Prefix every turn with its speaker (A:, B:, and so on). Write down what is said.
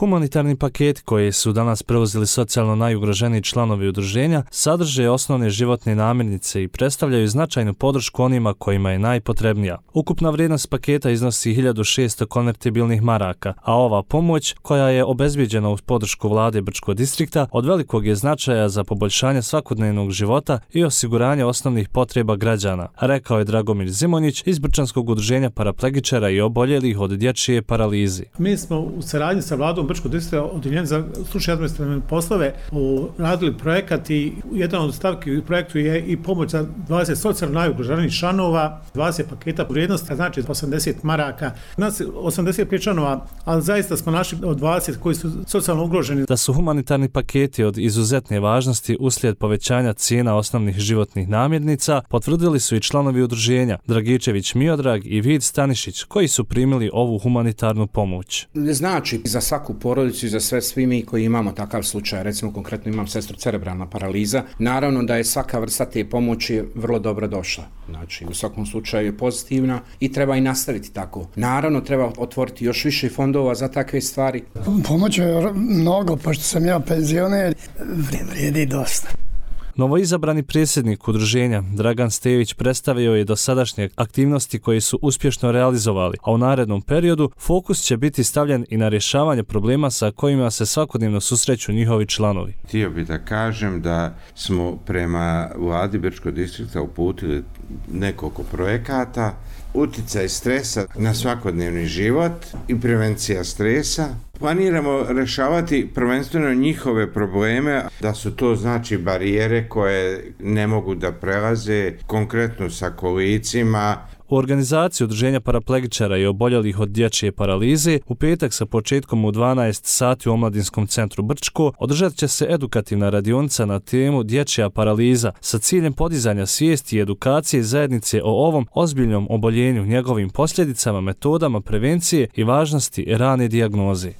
A: Humanitarni paketi koji su danas preuzeli socijalno najugroženiji članovi udruženja sadrže osnovne životne namirnice i predstavljaju značajnu podršku onima kojima je najpotrebnija. Ukupna vrijednost paketa iznosi 1600 konvertibilnih maraka, a ova pomoć, koja je obezbijeđena uz podršku vlade Brčkog distrikta, od velikog je značaja za poboljšanje svakodnevnog života i osiguranje osnovnih potreba građana, rekao je Dragomir Zimonjić iz Brčanskog udruženja paraplegičara i oboljelih od dječje paralize.
B: Mi smo u saradnji sa vladom Brčkog distrikta Odeljenja za stručne administrativne poslove radili projekat i jedan od stavki u projektu je i pomoć za 20 socijalno najugroženijih članova, 20 paketa vrijednosti, znači 80 maraka. Nas 85 članova, ali zaista smo našli od 20 koji su socijalno ugroženi.
A: Da su humanitarni paketi od izuzetne važnosti uslijed povećanja cijena osnovnih životnih namirnica, potvrdili su i članovi udruženja Dragičević Miodrag i Vid Stanišić, koji su primili ovu humanitarnu pomoć.
C: Znači, za svaku porodicu i za svi mi koji imamo takav slučaj, recimo konkretno imam sestru cerebralna paraliza, naravno da je svaka vrsta te pomoći vrlo dobro došla. Znači, u svakom slučaju je pozitivna i treba i nastaviti tako. Naravno, treba otvoriti još više fondova za takve stvari.
D: Pomoć je mnogo, pošto sam ja penzioner, vrijedi dosta.
A: Novoizabrani predsjednik udruženja Dragan Stević predstavio je dosadašnje aktivnosti koje su uspješno realizovali, a u narednom periodu fokus će biti stavljen i na rješavanje problema sa kojima se svakodnevno susreću njihovi članovi.
E: Htio bih da kažem da smo prema vladi Brčkog distrikta uputili nekoliko projekata, utjecaj stresa na svakodnevni život i prevencija stresa. Planiramo rješavati prvenstveno njihove probleme, da su to znači barijere koje ne mogu da prelaze, konkretno sa kolicima.
A: U organizaciji udruženja paraplegičara i oboljelih od dječje paralize u petak sa početkom u 12 sati u Omladinskom centru Brčko održat će se edukativna radionica na temu dječja paraliza sa ciljem podizanja svijesti i edukacije zajednice o ovom ozbiljnom oboljenju, njegovim posljedicama, metodama prevencije i važnosti rane dijagnoze.